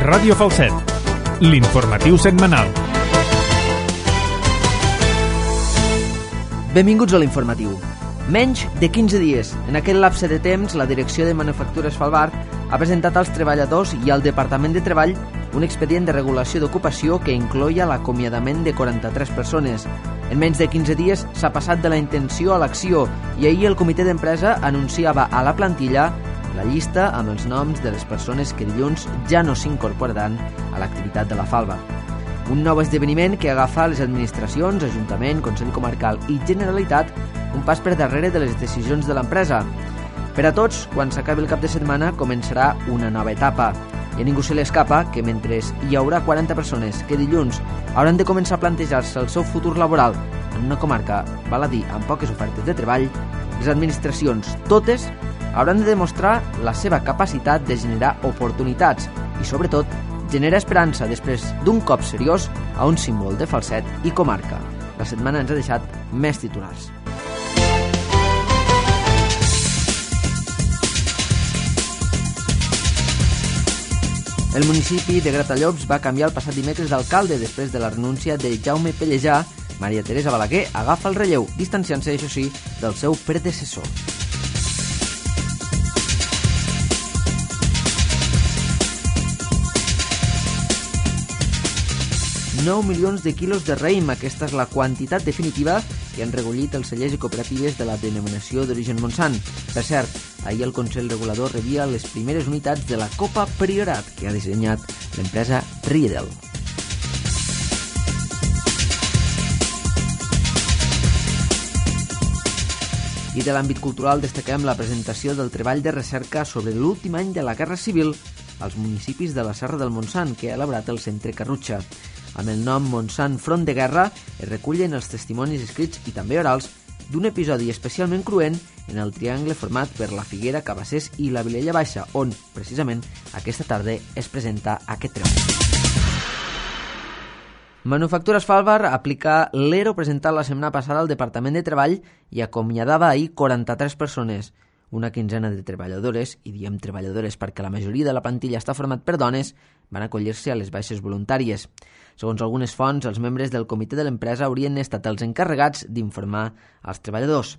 Ràdio Falset, l'informatiu setmanal. Benvinguts a l'informatiu. Menys de 15 dies. En aquest lapse de temps, la Direcció de Manufactures Falbart ha presentat als treballadors i al Departament de Treball un expedient de regulació d'ocupació que incloïa l'acomiadament de 43 persones. En menys de 15 dies s'ha passat de la intenció a l'acció i ahir el comitè d'empresa anunciava a la plantilla la llista amb els noms de les persones que dilluns ja no s'incorporaran a l'activitat de la Falba. Un nou esdeveniment que agafa les administracions, Ajuntament, Consell Comarcal i Generalitat un pas per darrere de les decisions de l'empresa. Per a tots, quan s'acabi el cap de setmana, començarà una nova etapa. I a ningú se li escapa que mentre hi haurà 40 persones que dilluns hauran de començar a plantejar-se el seu futur laboral en una comarca, val a dir, amb poques ofertes de treball, les administracions, totes, hauran de demostrar la seva capacitat de generar oportunitats i, sobretot, generar esperança després d'un cop seriós a un símbol de Falset i comarca. La setmana ens ha deixat més titulars. El municipi de Gratallops va canviar el passat dimecres d'alcalde després de la renúncia de Jaume Pellejà. Maria Teresa Balaguer agafa el relleu, distanciant-se, això sí, del seu predecessor. 9 milions de quilos de raïm. Aquesta és la quantitat definitiva que han recollit els cellers i cooperatives de la denominació d'origen Montsant. Per cert, ahir el Consell Regulador rebia les primeres unitats de la Copa Priorat que ha dissenyat l'empresa Riedel. I de l'àmbit cultural destaquem la presentació del treball de recerca sobre l'últim any de la Guerra Civil als municipis de la Serra del Montsant que ha elaborat el Centre Carrutxa. Amb el nom Montsant Front de Guerra es recullen els testimonis escrits i també orals d'un episodi especialment cruent en el triangle format per la Figuera, Cabassers i la Vilella Baixa, on, precisament, aquesta tarda es presenta aquest treball. Manufactures Falbart aplica l'ERO presentat la setmana passada al Departament de Treball i acomiadava ahir 43 persones. Una quinzena de treballadores, i diem treballadores perquè la majoria de la plantilla està format per dones, van acollir-se a les baixes voluntàries. Segons algunes fonts, els membres del comitè de l'empresa haurien estat els encarregats d'informar als treballadors.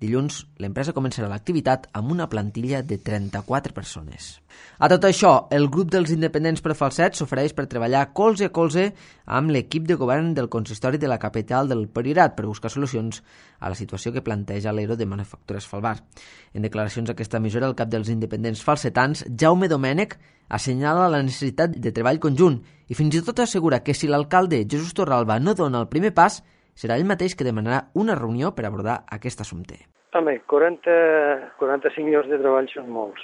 Dilluns, l'empresa començarà l'activitat amb una plantilla de 34 persones. A tot això, el grup dels independents per Falset s'ofereix per treballar colze a colze amb l'equip de govern del consistori de la capital del Priorat per buscar solucions a la situació que planteja l'ERO de Manufactures Falbart. En declaracions a aquesta emissora, el cap dels independents falsetans, Jaume Domènech, assenyala la necessitat de treball conjunt i fins i tot assegura que si l'alcalde Jesús Torralba no dona el primer pas, serà ell mateix que demanarà una reunió per abordar aquest assumpte. Home, 45 llocs de treball són molts.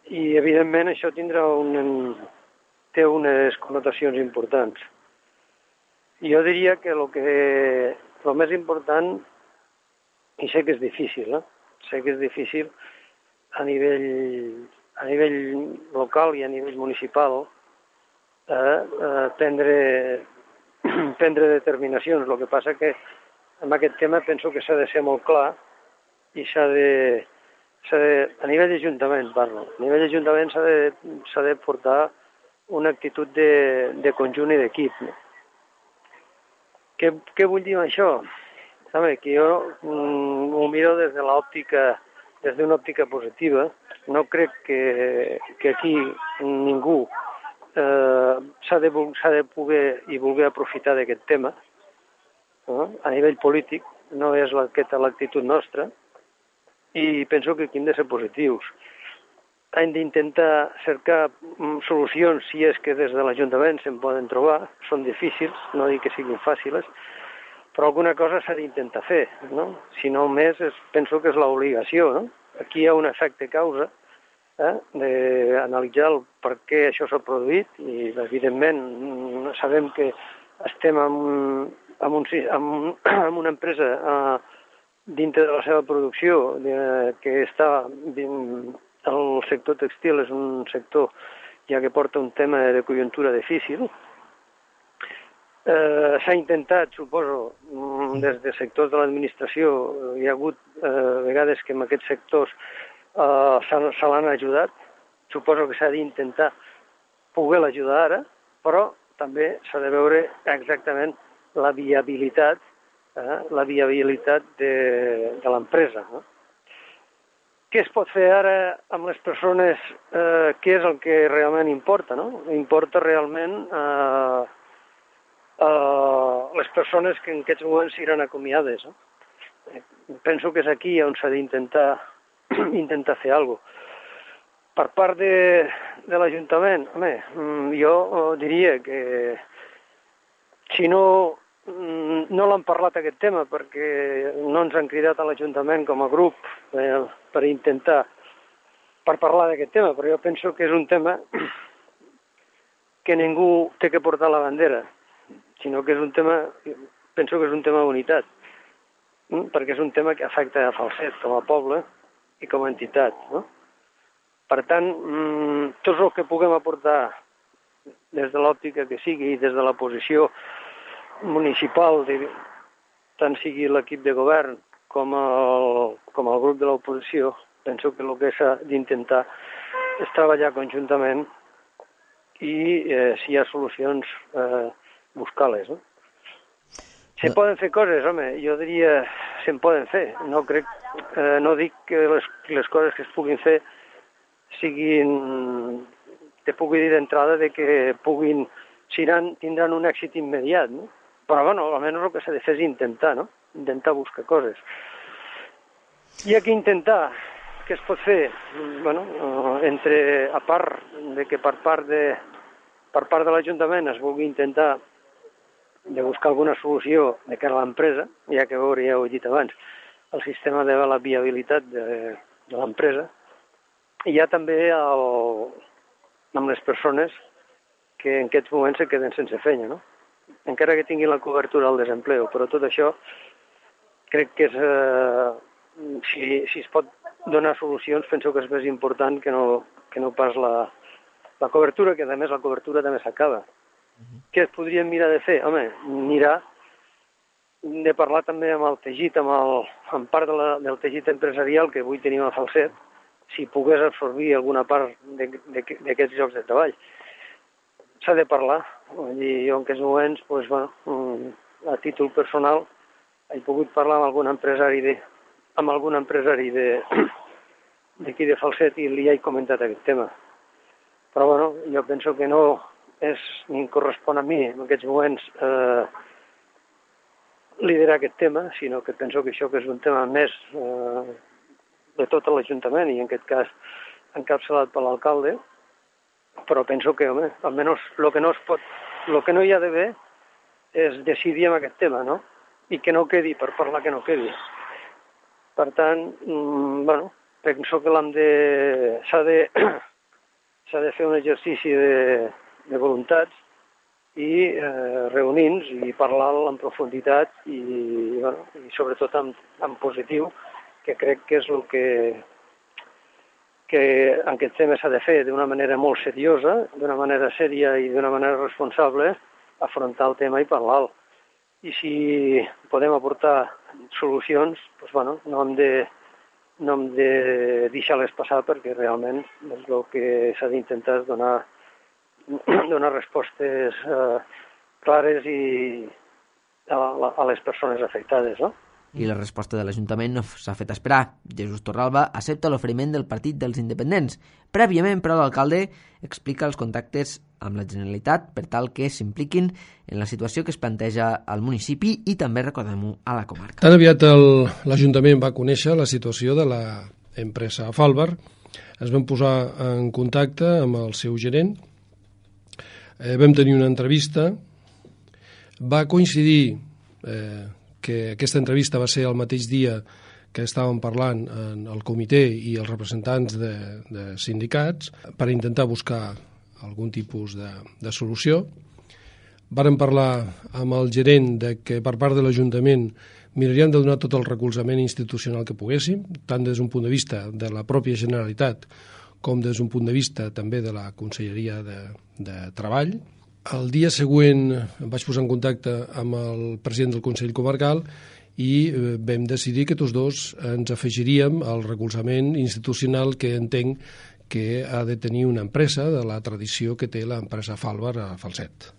I, evidentment, això té unes connotacions importants. Jo diria que el més important, i sé que és difícil, sé que és difícil a nivell local i a nivell municipal prendre determinacions. El que passa que en aquest tema penso que s'ha de ser molt clar i a nivell d'Ajuntament parlo. A nivell d'Ajuntament s'ha de portar una actitud de conjunt i d'equip. Què vull dir amb això? Home, que jo ho miro des d'una òptica positiva. No crec que aquí ningú s'ha de poder i voler aprofitar d'aquest tema. A nivell polític no és aquesta l'actitud nostra i penso que aquí hem de ser positius. Hem d'intentar cercar solucions si és que des de l'Ajuntament se'n poden trobar. Són difícils, no dic que siguin fàcils, però alguna cosa s'ha d'intentar fer. No? Si no més, penso que és l'obligació. No? Aquí hi ha un efecte causa d'analitzar el per què això s'ha produït i, evidentment, sabem que estem amb una empresa dintre de la seva producció que està el sector textil és un sector ja que porta un tema de conjuntura difícil. S'ha intentat, suposo, des de sectors de l'administració, hi ha hagut vegades que en aquests sectors se l'han ajudat. Suposo que s'ha d'intentar poder ajudar ara, però també s'ha de veure exactament la viabilitat de l'empresa. No? Què es pot fer ara amb les persones? Què és el que realment importa? No? Importa realment les persones que en aquests moments seran acomiades. No? Penso que és aquí on s'ha d'intentar fer alguna cosa. Per part de l'Ajuntament, jo diria que si no l'han parlat aquest tema perquè no ens han cridat a l'Ajuntament com a grup per parlar d'aquest tema, però jo penso que és un tema que ningú té que portar la bandera, sinó que és un tema, penso que és un tema d'unitat, perquè és un tema que afecta a Falset com a poble i com a entitat, no? Per tant, tot el que puguem aportar des de l'òptica que sigui, des de la posició municipal, tant sigui l'equip de govern com el grup de l'oposició, penso que el que s'ha d'intentar és treballar conjuntament i, si hi ha solucions, buscar-les. No? Se poden fer coses, jo diria se'n poden fer. No dic que les coses que es puguin fer te pugui dir d'entrada que tindran un èxit immediat, no? Però, almenys el que s'ha de fer és intentar, no? Intentar buscar coses. I aquí intentar, què es pot fer? A part de que per part de l'Ajuntament es vulgui intentar de buscar alguna solució de cara a l'empresa, ja que veure, ja ho he dit abans, el sistema de la viabilitat de l'empresa, i hi ha també amb les persones que en aquests moments se queden sense feina, no? Encara que tinguin la cobertura al desempleo, però tot això crec que si es pot donar solucions, penso que és més important que no pas la cobertura, que a més la cobertura també s'acaba. Què es podríem mirar de fer? Mirar de parlar també amb el teixit, amb part del teixit empresarial que avui tenim a Falset, si pogués absorbir alguna part d'aquests llocs de treball. S'ha de parlar. Jo en aquests moments, a títol personal, he pogut parlar amb algun empresari d'aquí de Falset i li he comentat aquest tema. Però jo penso que no és ni em correspon a mi en aquests moments liderar aquest tema, sinó que penso que això que és un tema més de tot l'Ajuntament i en aquest cas encapçalat per l'alcalde, però penso que, almenys el que no hi ha d'haver és decidir amb aquest tema, no? I que no quedi, per parlar que no quedi. Per tant, penso que s'ha de fer un exercici de voluntats i reunir-nos i parlar en profunditat i sobretot en positiu, que crec que és el que en aquest tema s'ha de fer d'una manera molt seriosa, d'una manera sèria i d'una manera responsable, afrontar el tema i parlar-lo. I si podem aportar solucions, no hem de deixar-les passar, perquè realment el que s'ha d'intentar és donar respostes clares a les persones afectades, no? I la resposta de l'Ajuntament no s'ha fet esperar. Jesús Torralba accepta l'oferiment del Partit dels Independents. Prèviament, però, l'alcalde explica els contactes amb la Generalitat per tal que s'impliquin en la situació que es planteja al municipi i també, recordem-ho, a la comarca. Tan aviat l'Ajuntament va conèixer la situació de l'empresa Falbar, es van posar en contacte amb el seu gerent, vam tenir una entrevista, va coincidir que aquesta entrevista va ser el mateix dia que estàvem parlant en el comitè i els representants de sindicats per intentar buscar algun tipus de solució. Vàrem parlar amb el gerent de que per part de l'Ajuntament miraríem de donar tot el recolzament institucional que poguéssim, tant des d'un punt de vista de la pròpia Generalitat com des d'un punt de vista també de la Conselleria de Treball. El dia següent em vaig posar en contacte amb el president del Consell Comarcal i vam decidir que tots dos ens afegiríem al recolzament institucional que entenc que ha de tenir una empresa de la tradició que té l'empresa Falbar a Falset.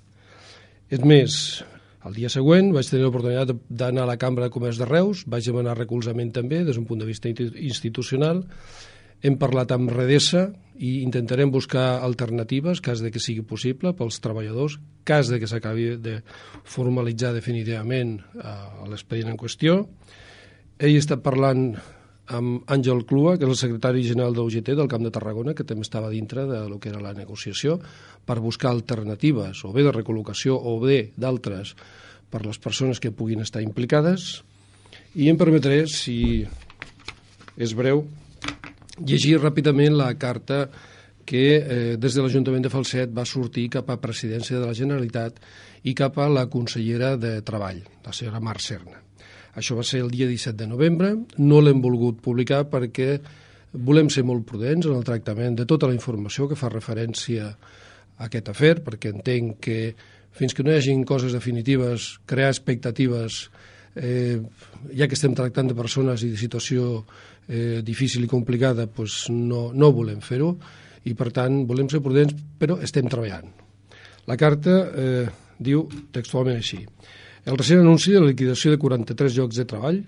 És més, el dia següent vaig tenir l'oportunitat d'anar a la Cambra de Comerç de Reus, vaig demanar recolzament també des d'un punt de vista institucional. Hem parlat amb Redesa i intentarem buscar alternatives, cas de que sigui possible, pels treballadors, cas de que s'acabi de formalitzar definitivament l'expedient en qüestió. Ell està parlant amb Àngel Clua, que és el secretari general de l'UGT del Camp de Tarragona, que també estava dintre del que era la negociació, per buscar alternatives, o bé de recol·locació o bé d'altres, per les persones que puguin estar implicades. I em permetré, si és breu, llegir ràpidament la carta que des de l'Ajuntament de Falset va sortir cap a Presidència de la Generalitat i cap a la consellera de Treball, la senyora Mar Serna. Això va ser el dia 17 de novembre, no l'hem volgut publicar perquè volem ser molt prudents en el tractament de tota la informació que fa referència a aquest afer, perquè entenc que fins que no hi hagin coses definitives, crear expectatives, ja que estem tractant de persones i de situació difícil i complicada, doncs no volem fer-ho i per tant volem ser prudents, però estem treballant. La carta diu textualment així: el recent anunci de la liquidació de 43 llocs de treball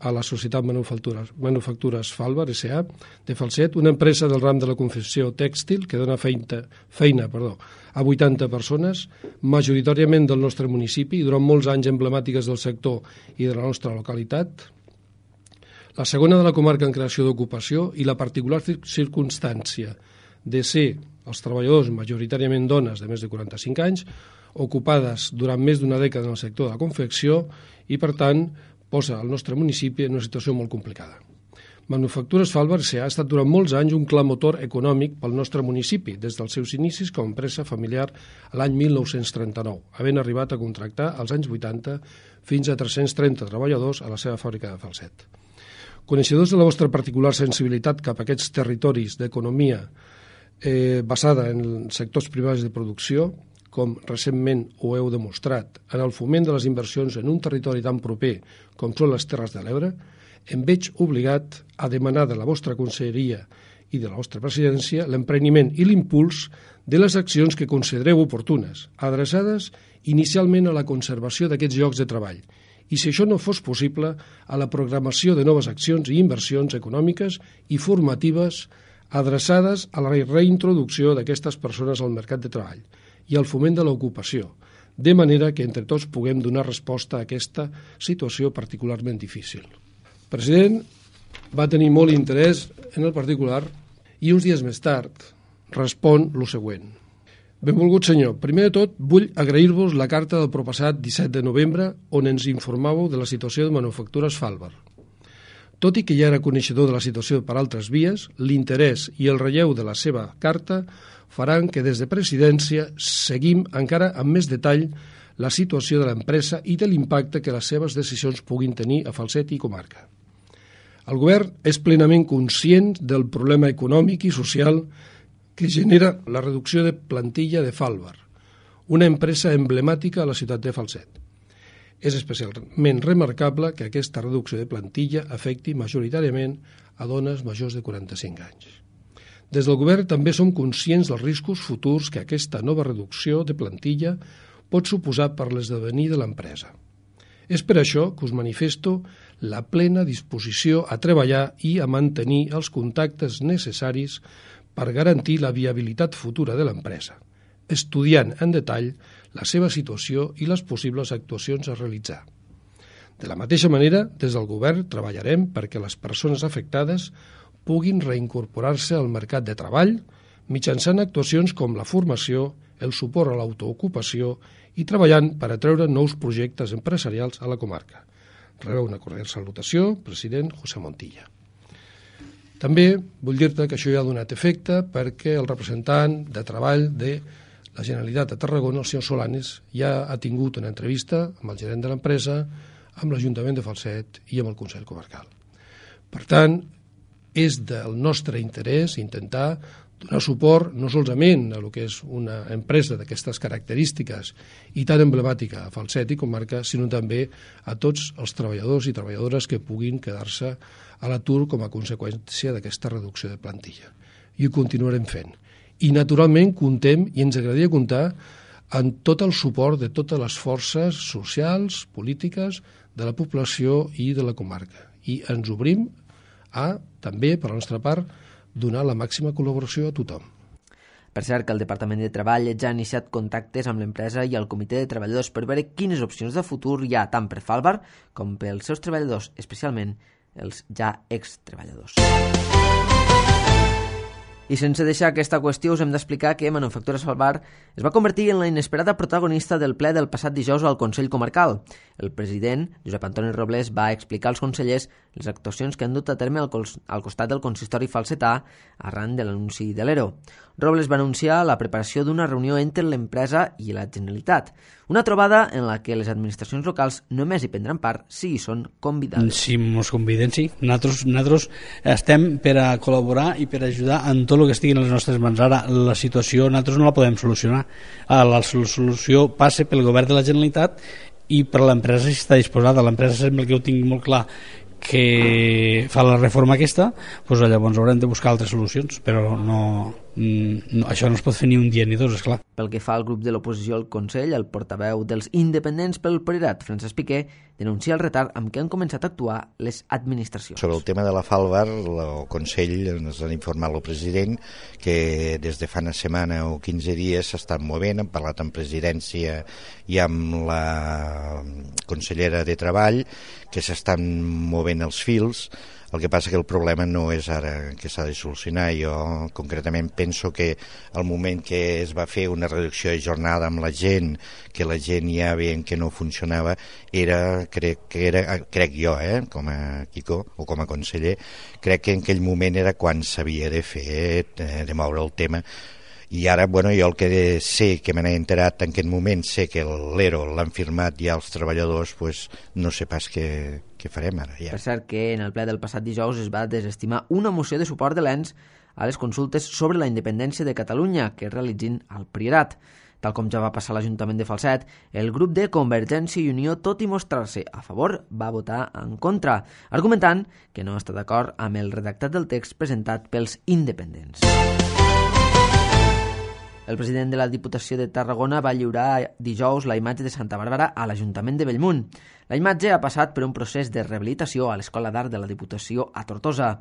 a la Societat Manufactures Falbar S.A. de Falset, una empresa del ram de la confecció tèxtil que dona feina a 80 persones, majoritàriament del nostre municipi i durant molts anys emblemàtiques del sector i de la nostra localitat. La segona de la comarca en creació d'ocupació i la particular circumstància de ser els treballadors majoritàriament dones de més de 45 anys, ocupades durant més d'una dècada en el sector de la confecció i, per tant, posa el nostre municipi en una situació molt complicada. Manufactures Falbar ha estat durant molts anys un clar motor econòmic pel nostre municipi, des dels seus inicis com a empresa familiar l'any 1939, havent arribat a contractar als anys 80 fins a 330 treballadors a la seva fàbrica de Falset. Coneixedors de la vostra particular sensibilitat cap a aquests territoris d'economia basada en sectors privats de producció, com recentment ho heu demostrat, en el foment de les inversions en un territori tan proper com són les Terres de l'Ebre, em veig obligat a demanar de la vostra conselleria i de la vostra presidència l'empreniment i l'impuls de les accions que considereu oportunes, adreçades inicialment a la conservació d'aquests llocs de treball, i si això no fos possible, a la programació de noves accions i inversions econòmiques i formatives adreçades a la reintroducció d'aquestes persones al mercat de treball i al foment de l'ocupació, de manera que entre tots puguem donar resposta a aquesta situació particularment difícil. El president va tenir molt interès en el particular i uns dies més tard respon el següent. Benvolgut senyor, primer de tot vull agrair-vos la carta del proppassat 17 de novembre on ens informàveu de la situació de Manufactures Falbar. Tot i que ja era coneixedor de la situació per altres vies, l'interès i el relleu de la seva carta faran que des de presidència seguim encara amb més detall la situació de l'empresa i de l'impacte que les seves decisions puguin tenir a Falset i comarca. El govern és plenament conscient del problema econòmic i social que genera la reducció de plantilla de Falbar, una empresa emblemàtica a la ciutat de Falset. És especialment remarcable que aquesta reducció de plantilla afecti majoritàriament a dones majors de 45 anys. Des del govern també som conscients dels riscos futurs que aquesta nova reducció de plantilla pot suposar per l'esdevenir de l'empresa. És per això que us manifesto la plena disposició a treballar i a mantenir els contactes necessaris per garantir la viabilitat futura de l'empresa, estudiant en detall la seva situació i les possibles actuacions a realitzar. De la mateixa manera, des del govern treballarem perquè les persones afectades puguin reincorporar-se al mercat de treball mitjançant actuacions com la formació, el suport a l'autoocupació i treballant per atreure nous projectes empresarials a la comarca. Rebeu una cordial salutació, president José Montilla. També vull dir-te que això ja ha donat efecte perquè el representant de treball de la Generalitat de Tarragona, el senyor Solanes, ja ha tingut una entrevista amb el gerent de l'empresa, amb l'Ajuntament de Falset i amb el Consell Comarcal. Per tant, és del nostre interès intentar donar suport no solament a el que és una empresa d'aquestes característiques i tan emblemàtica a Falset i comarca, sinó també a tots els treballadors i treballadores que puguin quedar-se a l'atur com a conseqüència d'aquesta reducció de plantilla. i ho continuarem fent. I, naturalment, contem, i ens agradaria comptar, en tot el suport de totes les forces socials, polítiques, de la població i de la comarca. I ens obrim a, també, per la nostra part, donar la màxima col·laboració a tothom. Per cert, que el Departament de Treball ja ha iniciat contactes amb l'empresa i el comitè de treballadors per veure quines opcions de futur hi ha tant per Falbar com pels seus treballadors, especialment els ja extreballadors. I sense deixar aquesta qüestió us hem d'explicar que Manufactures Falbar es va convertir en la inesperada protagonista del ple del passat dijous al Consell Comarcal. El president, Josep Antoni Robles, va explicar als consellers les actuacions que han dut a terme al costat del consistori falsetà arran de l'anunci de l'ERO. Robles va anunciar la preparació d'una reunió entre l'empresa i la Generalitat, una trobada en la que les administracions locals només hi prendran part si hi són convidades. Si ens conviden, sí. Nosaltres estem per a col·laborar i per a ajudar en tot el que estigui en les nostres mans. Ara, la situació nosaltres no la podem solucionar. La solució passa pel govern de la Generalitat i per l'empresa si està disposada. L'empresa sembla que ho tingui molt clar que fa la reforma aquesta, doncs llavors haurem de buscar altres solucions, però això no es pot fer ni un dia ni dos, esclar. Pel que fa al grup de l'oposició al Consell, el portaveu dels independents pel Priorat, Francesc Piqué, denuncia el retard amb què han començat a actuar les administracions. Sobre el tema de la Falbar, el Consell ens ha informat el president que des de fa una setmana o 15 dies s'estan movent, han parlat amb presidència i amb la consellera de Treball, que s'estan movent els fils. El que passa que el problema no és ara que s'ha de solucionar. Jo concretament penso que al moment que es va fer una reducció de jornada amb la gent, que la gent ja veient que no funcionava, crec jo, com a Quico o com a conseller, crec que en aquell moment era quan s'havia de fer, de moure el tema. I ara, jo el que sé, que me n'he enterat en aquest moment, sé que l'ERO l'han firmat ja els treballadors, no sé pas què farem ara. Ja. Per cert que en el ple del passat dijous es va desestimar una moció de suport de l'ENS a les consultes sobre la independència de Catalunya que es realitzin al Priorat. Tal com ja va passar a l'Ajuntament de Falset, el grup de Convergència i Unió, tot i mostrar-se a favor, va votar en contra, argumentant que no està d'acord amb el redactat del text presentat pels independents. El president de la Diputació de Tarragona va lliurar dijous la imatge de Santa Bàrbara a l'Ajuntament de Bellmunt. La imatge ha passat per un procés de rehabilitació a l'Escola d'Art de la Diputació a Tortosa.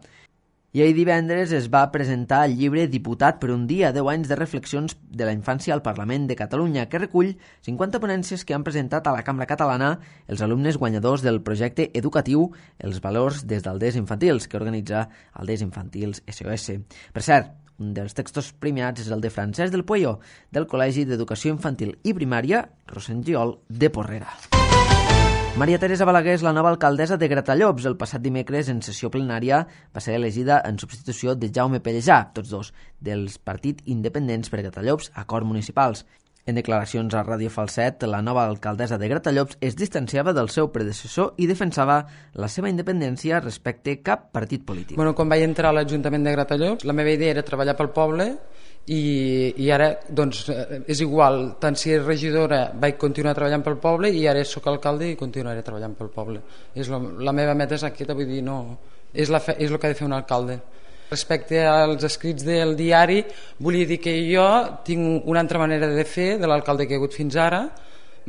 I ahir divendres es va presentar el llibre Diputat per un dia, 10 anys de reflexions de la infància al Parlament de Catalunya, que recull 50 ponències que han presentat a la Cambra Catalana els alumnes guanyadors del projecte educatiu Els valors des d'alders infantils, que organitza Alders Infantils SOS. Per cert, un dels textos premiats és el de Francesc del Pueyo, del Col·legi d'Educació Infantil i Primària Rosengiol de Porrera. Maria Teresa Balaguer és la nova alcaldessa de Gratallops. El passat dimecres, en sessió plenària, va ser elegida en substitució de Jaume Pellejà, tots dos dels Partit Independents per Gratallops, Acord Municipals. En declaracions a Ràdio Falset, la nova alcaldessa de Gratallops es distanciava del seu predecessor i defensava la seva independència respecte cap partit polític. Quan vaig entrar a l'Ajuntament de Gratallops, la meva idea era treballar pel poble i ara és igual, tant si és regidora vaig continuar treballant pel poble i ara sóc alcalde i continuaré treballant pel poble. La meva meta és aquesta, vull dir, és el que ha de fer un alcalde. Respecte als escrits del diari, volia dir que jo tinc una altra manera de fer de l'alcalde que he hagut fins ara.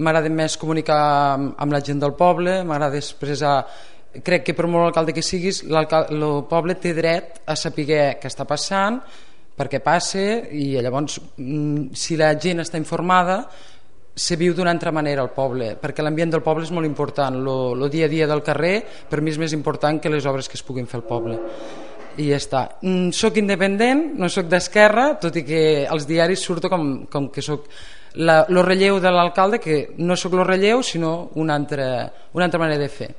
M'agrada més comunicar amb la gent del poble, m'agrada expressar. Crec que per molt alcalde que siguis, el poble té dret a saber què està passant, per què passa, i llavors si la gent està informada se viu d'una altra manera al poble, perquè l'ambient del poble és molt important. El dia a dia del carrer per mi és més important que les obres que es puguin fer al poble. I ja està. Soc independent, no soc d'esquerra, tot i que als diaris surto com que soc el relleu de l'alcalde, que no soc el relleu sinó una altra manera de fer.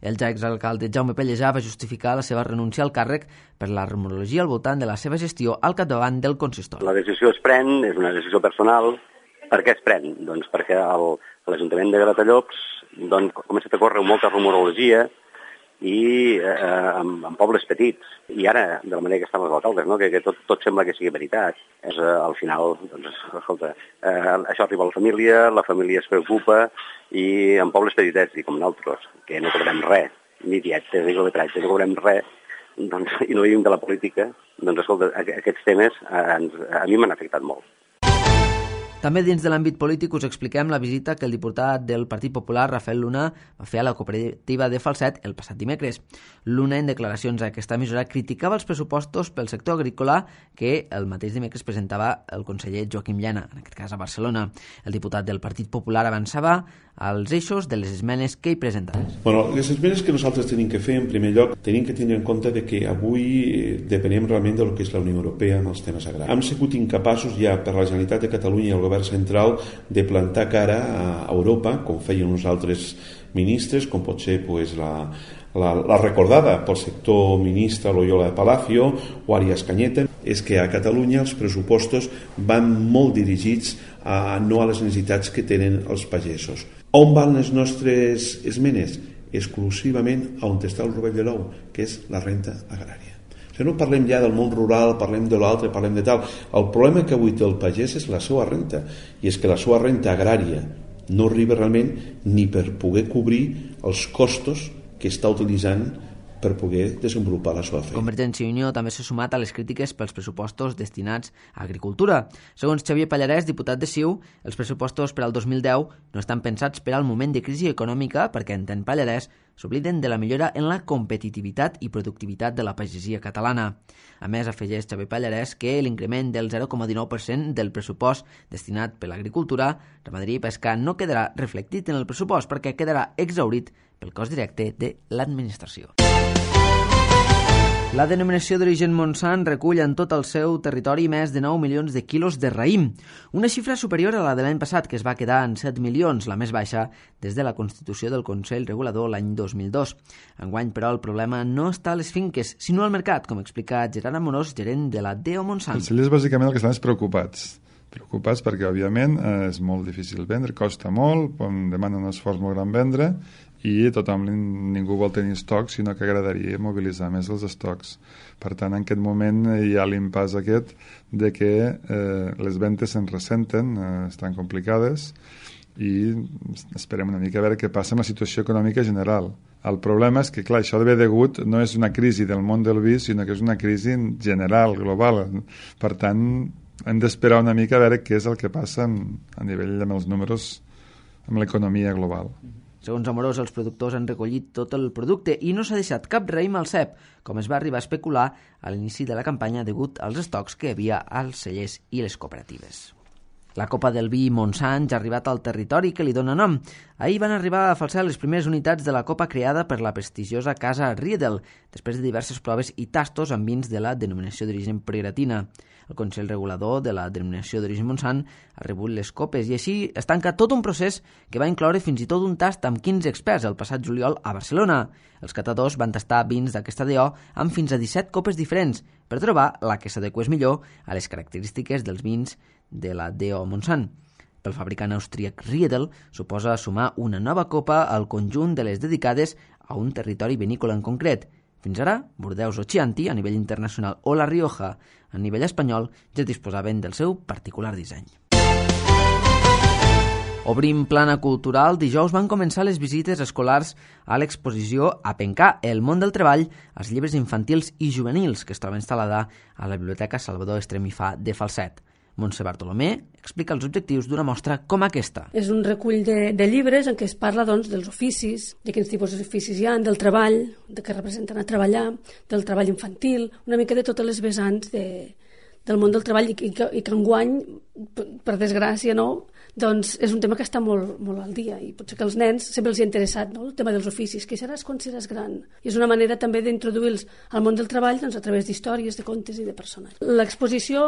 El ja exalcalde Jaume Pellejà va justificar la seva renúncia al càrrec per la rumorologia al voltant de la seva gestió al capdavant del consistori. La decisió es pren, és una decisió personal. Per què es pren? Doncs perquè l'Ajuntament de Gratallops ha començat a córrer molta rumorologia i en pobles petits. I ara, de la manera que estan els alcaldes, no? que tot sembla que sigui veritat. Al final, escolta, això arriba a la família es preocupa, i en pobles petitets, com nosaltres, que no cobrem res, ni dietes ni coletratges, no cobrem res, i no vivim de la política, doncs escolta, aquests temes a mi m'han afectat molt. També dins de l'àmbit polític us expliquem la visita que el diputat del Partit Popular, Rafael Luna, va fer a la cooperativa de Falset el passat dimecres. Luna, en declaracions a aquesta emissora, criticava els pressupostos pel sector agrícola que el mateix dimecres presentava el conseller Joaquim Llana, en aquest cas a Barcelona. El diputat del Partit Popular avançava als eixos de les esmenes que hi presentaven. Bueno, les esmenes que nosaltres tenim que fer, en primer lloc, tenim que tenir en compte de que avui depenem realment del que és la Unió Europea en els temes agraris. Hem sigut incapaços ja per la Generalitat de Catalunya i el Govern central de plantar cara a Europa, com feien uns altres ministres, com pot ser la recordada pel sector ministre Loyola de Palacio o Arias Cañete, és que a Catalunya els pressupostos van molt dirigits no a les necessitats que tenen els pagesos. On van les nostres esmenes? Exclusivament on està el rovell de l'ou, que és la renta agrària. O sigui, no parlem ja del món rural, parlem de l'altre, parlem de tal. El problema que avui té el pagès és la seva renta, i és que la seva renta agrària no arriba realment ni per poder cobrir els costos que està utilitzant per poder desenvolupar la seva feina. Convergència i Unió també s'ha sumat a les crítiques pels pressupostos destinats a agricultura. Segons Xavier Pallarès, diputat de CiU, els pressupostos per al 2010 no estan pensats per al moment de crisi econòmica perquè, entén Pallarès, s'obliden de la millora en la competitivitat i productivitat de la pagesia catalana. A més, afegeix Xavier Pallarès que l'increment del 0,19% del pressupost destinat per l'agricultura, ramaderia i pesca no quedarà reflectit en el pressupost perquè quedarà exhaurit pel cost directe de l'administració. La denominació d'origen Montsant recull en tot el seu territori més de 9 milions de quilos de raïm, una xifra superior a la de l'any passat, que es va quedar en 7 milions, la més baixa des de la constitució del Consell Regulador l'any 2002. Enguany, però, el problema no està a les finques, sinó al mercat, com explica Gerard Amorós, gerent de la DEO Montsant. Els cellers, bàsicament, el que estan és preocupats perquè, òbviament, és molt difícil vendre, costa molt, demana un esforç molt gran vendre, i ningú vol tenir estocs, sinó que agradaria mobilitzar més els estocs. Per tant, en aquest moment hi ha l'impàs aquest de que les ventes se'n ressenten, estan complicades, i esperem una mica a veure què passa amb la situació econòmica general. El problema és que, clar, això de ve degut no és una crisi del món del vi, sinó que és una crisi general, global. Per tant, hem d'esperar una mica a veure què és el que passa a nivell amb els números, amb l'economia global. Segons Amorós, els productors han recollit tot el producte i no s'ha deixat cap raïm al cep, com es va arribar a especular a l'inici de la campanya degut als estocs que hi havia als cellers i les cooperatives. La Copa del Vi Montsant ja ha arribat al territori que li dona nom. Ahir van arribar a falsar les primeres unitats de la Copa creada per la prestigiosa casa Riedel, després de diverses proves i tastos amb vins de la denominació d'origen Pregratina. El Consell Regulador de la denominació d'origen Montsant ha rebut les copes i així es tanca tot un procés que va incloure fins i tot un tast amb 15 experts el passat juliol a Barcelona. Els catadors van tastar vins d'aquesta DO amb fins a 17 copes diferents per trobar la que s'adequés millor a les característiques dels vins de la DO Montsant. Pel fabricant austríac Riedel suposa sumar una nova copa al conjunt de les dedicades a un territori vinícola en concret. Fins ara, Bordeus o Chianti, a nivell internacional, o La Rioja, a nivell espanyol, ja es disposaven del seu particular disseny. Obrim plana cultural. Dijous van començar les visites escolars a l'exposició Apencar, el món del treball, als llibres infantils i juvenils, que es troba instal·lada a la Biblioteca Salvador Estremifà de Falset. Montse Bartolomé explica els objectius d'una mostra com aquesta. És un recull de llibres en què es parla dels oficis, de quins tipus d'oficis hi ha, del treball, de què representen a treballar, del treball infantil, una mica de totes les vessants del món del treball i que enguany, per desgràcia, no, doncs és un tema que està molt, molt al dia i potser que als nens sempre els ha interessat, no? El tema dels oficis, què seràs quan seràs gran? I és una manera també d'introduir-los al món del treball doncs, a través d'històries, de contes i de personatges. L'exposició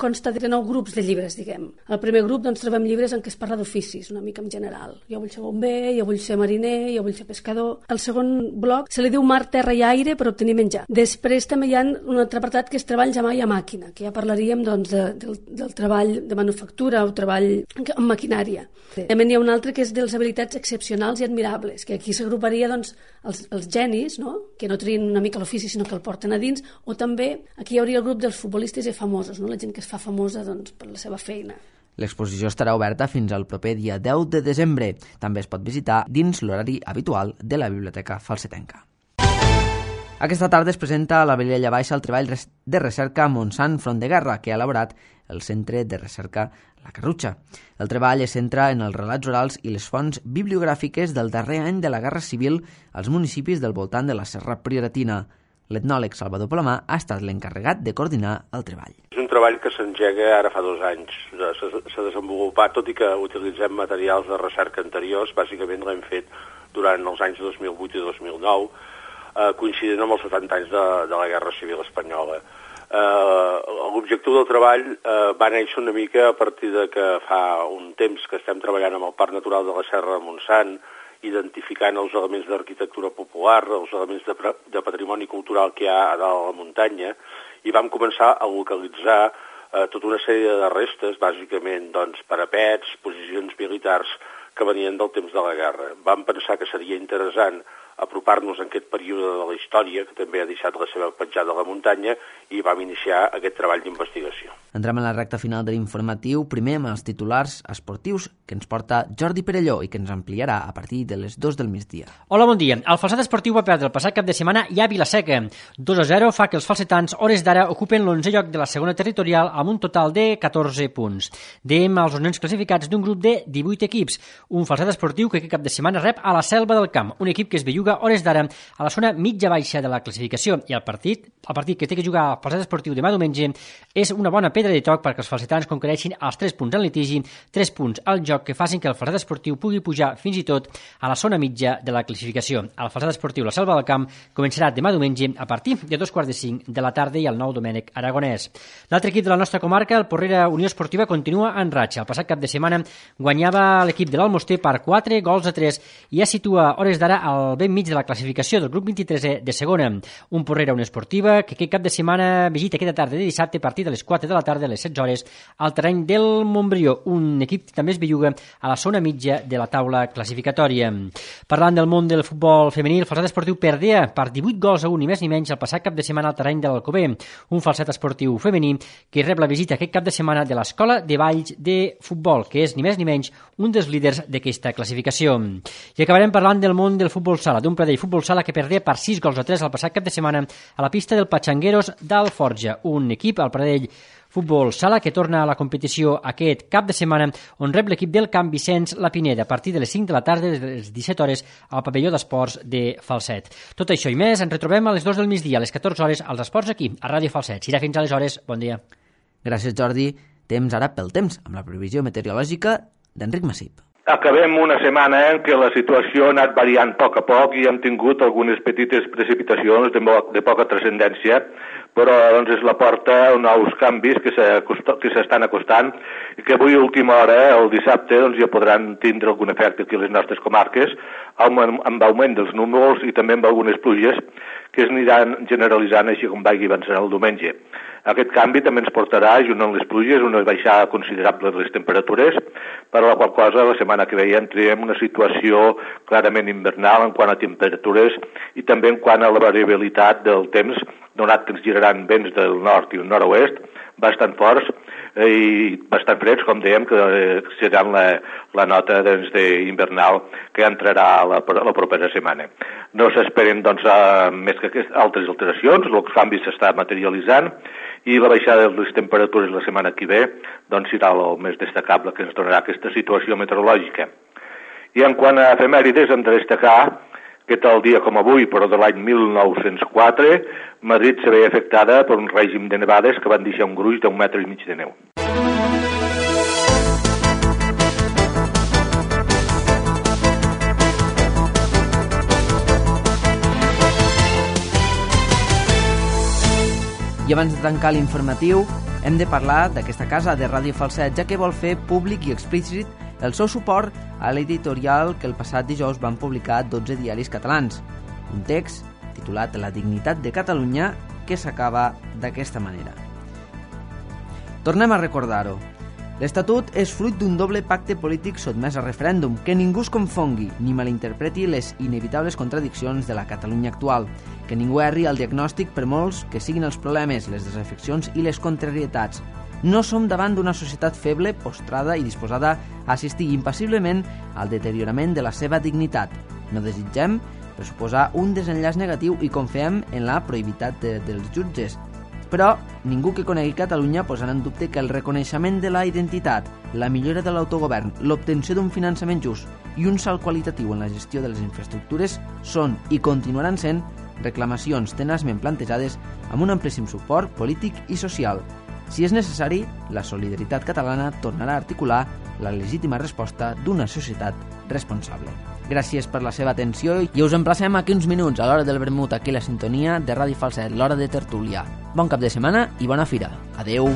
consta de 9 grups de llibres, diguem. Al primer grup doncs, trobem llibres en què es parla d'oficis, una mica en general. Jo vull ser bomber, jo vull ser mariner, jo vull ser pescador. Al segon bloc se li diu mar, terra i aire per obtenir menjar. Després també hi ha un altre apartat que és treball a mà i a màquina, que ja parlaríem doncs, del treball de manufactura o treball amb maquinària. També n'hi ha un altre que és de les habilitats excepcionals i admirables, que aquí s'agruparia doncs, els genis, no? Que no trien una mica l'ofici sinó que el porten a dins, o també aquí hi hauria el grup dels futbolistes i famosos, no? La gent que es fa famosa doncs, per la seva feina. L'exposició estarà oberta fins al proper dia 10 de desembre. També es pot visitar dins l'horari habitual de la Biblioteca Falsetenca. Aquesta tarda es presenta a la Vilella Baixa el treball de recerca Montsant Front de Guerra, que ha elaborat el Centre de Recerca La Carrutxa. El treball es centra en els relats orals i les fonts bibliogràfiques del darrer any de la Guerra Civil als municipis del voltant de la Serra Prioratina. L'etnòleg Salvador Palomar ha estat l'encarregat de coordinar el treball. És un treball que s'engega ara fa 2 anys. S'ha desenvolupat, tot i que utilitzem materials de recerca anteriors, bàsicament l'hem fet durant els anys 2008 i 2009, coincidint amb els 70 anys de la Guerra Civil Espanyola. L'objectiu del treball va néixer una mica a partir de que fa un temps que estem treballant amb el Parc Natural de la Serra de Montsant, identificant els elements d'arquitectura popular, els elements de patrimoni cultural que hi ha a dalt a la muntanya, i vam començar a localitzar tota una sèrie de restes, bàsicament parapets, posicions militars que venien del temps de la guerra. Vam pensar que seria interessant apropar-nos en aquest període de la història, que també ha deixat la seva petjada a la muntanya, i vam iniciar aquest treball d'investigació. Entrem a la recta final de l'informatiu, primer amb els titulars esportius que ens porta Jordi Perelló i que ens ampliarà a partir de les 2 del migdia. Hola, bon dia. El falset esportiu va perdre el passat cap de setmana ja a Vila-seca. 2-0 fa que els falsetans, hores d'ara, ocupen l'11è lloc de la segona territorial amb un total de 14 punts. Dèiem als nens classificats d'un grup de 18 equips. Un falset esportiu que aquest cap de setmana rep a la Selva del Camp, un equip que es belluga hores d'ara a la zona mitja-baixa de la classificació, i el partit que té que jugar al falset esportiu demà diumenge és una bona pedra de toc perquè els falsetans conquereixin els 3 punts en litigi, 3 punts al joc que facin que el falset esportiu pugui pujar fins i tot a la zona mitja de la classificació. El falset esportiu La Selva del Camp començarà demà diumenge a partir de 2:45 de la tarda i al Nou Domènec Aragonès. L'altre equip de la nostra comarca, el Porrera Unió Esportiva, continua en ratxa. El passat cap de setmana guanyava l'equip de l'Almoster per 4-3 i ja situa hores d'ara al ben mig de la classificació del grup 23è de segona. Un Porrera Unió Esportiva que aquest cap de setmana visita aquesta tarda de dissabte a partir de les 4 de la tarda a les 16 hores al terreny del Montbrió, un equip que també es belluga a la zona mitja de la taula classificatòria. Parlant del món del futbol femení, el falset esportiu perdea per 18-1 ni més ni menys el passat cap de setmana al terreny de l'Alcover, un falset esportiu femení que rep la visita aquest cap de setmana de l'Escola de Valls de Futbol, que és ni més ni menys un dels líders d'aquesta classificació. I acabarem parlant del món del futbol sala, d'un Pradell Futbol Sala que perdé per 6-3 el passat cap de setmana a la pista del Patxangueros d'Alforja, un equip, el Pradell Futbol Sala, que torna a la competició aquest cap de setmana, on rep l'equip del Camp Vicenç La Pineda a partir de les 5 de la tarda de les 17 hores al pavelló d'esports de Falset. Tot això i més ens retrobem a les 2 del migdia, a les 14 hores, als esports aquí, a Ràdio Falset. Serà fins aleshores. Bon dia. Gràcies, Jordi. Temps ara pel temps, amb la previsió meteorològica d'Enric Massip. Acabem una setmana en què la situació ha anat variant a poc i hem tingut algunes petites precipitacions de poca transcendència, però doncs és la porta a nous canvis que s'estan acostant i que avui a última hora, el dissabte, doncs ja podran tindre algun efecte aquí a les nostres comarques, amb augment dels núvols i també amb algunes pluges que es aniran generalitzant així com vagi avançant el diumenge. Aquest canvi també ens portarà, junt amb les pluges, una baixada considerable de les temperatures, per la qual cosa la setmana que ve entrem en una situació clarament invernal en quant a temperatures i també en quant a la variabilitat del temps, donat que ens giraran vents del nord i el nord-oest bastant forts i bastant freds, com dèiem, que seran la nota invernal que entrarà la propera setmana. No s'esperen més que altres alteracions, els canvis s'està materialitzant i la baixada de les temperatures la setmana que ve serà el més destacable que ens donarà aquesta situació meteorològica. I en quant a efemèrides hem de destacar que tal dia com avui, però de l'any 1904, Madrid se veia afectada per un règim de nevades que van deixar un gruix d'1,5 metres de neu. I abans de tancar l'informatiu, hem de parlar d'aquesta casa de Ràdio Falset, ja que vol fer públic i explícit el seu suport a l'editorial que el passat dijous van publicar 12 diaris catalans. Un text titulat La dignitat de Catalunya que s'acaba d'aquesta manera. Tornem a recordar-ho. L'Estatut és fruit d'un doble pacte polític sotmès a referèndum, que ningú es confongui ni malinterpreti les inevitables contradiccions de la Catalunya actual, que ningú erri al diagnòstic per molts que siguin els problemes, les desafeccions i les contrarietats. No som davant d'una societat feble, postrada i disposada a assistir impassiblement al deteriorament de la seva dignitat. No desitgem per suposar un desenllaç negatiu i confiem en la prohibitat dels jutges. Però ningú que conegui Catalunya posarà en dubte que el reconeixement de la identitat, la millora de l'autogovern, l'obtenció d'un finançament just i un salt qualitatiu en la gestió de les infraestructures són i continuaran sent reclamacions tenaçment plantejades amb un amplíssim suport polític i social. Si és necessari, la solidaritat catalana tornarà a articular la legítima resposta d'una societat responsable. Gràcies per la seva atenció i us emplacem aquí uns minuts a l'hora del vermut, aquí la sintonia de Ràdio Falset, l'hora de tertúlia. Bon cap de setmana i bona fira. Adeu!